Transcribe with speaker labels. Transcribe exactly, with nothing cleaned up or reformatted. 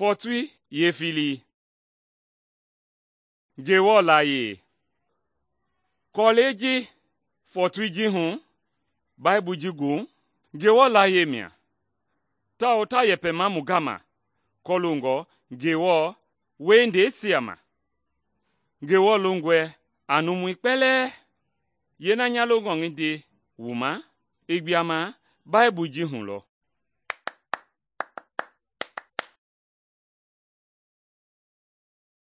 Speaker 1: Fɔɔtoi yeefilii. Ngewɔ layie. Kɔlɛi ji fɔɔtoi ji hu Baibui ji gu Ngewɔ layie mia, tawao ta yɛpɛma mu gama kɔloongɔ Ngewɔ wiehindeisia ma. Ngewɔ longɔe a numui kpɛlɛɛ. Yeena nya longɔ ngi nde wu ma i gbua Baibui ji hu lɔ.